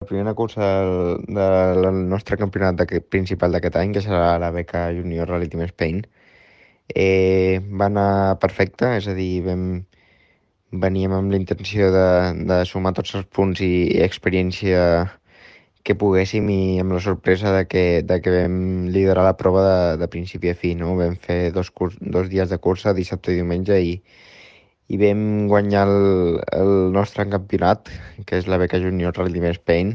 La primera cursa del nostre campionat principal d'aquest any, que serà la beca Junior Rally Team Spain, va anar perfecte, és a dir, veníem amb la intenció de sumar tots els punts i experiència que poguéssim i amb la sorpresa de que vam liderar la prova de principi a fi, no? Vam fer dos dies de cursa, dissabte i diumenge, i vam guanyar el nostre campionat, que és la beca Junior Rally Team Spain,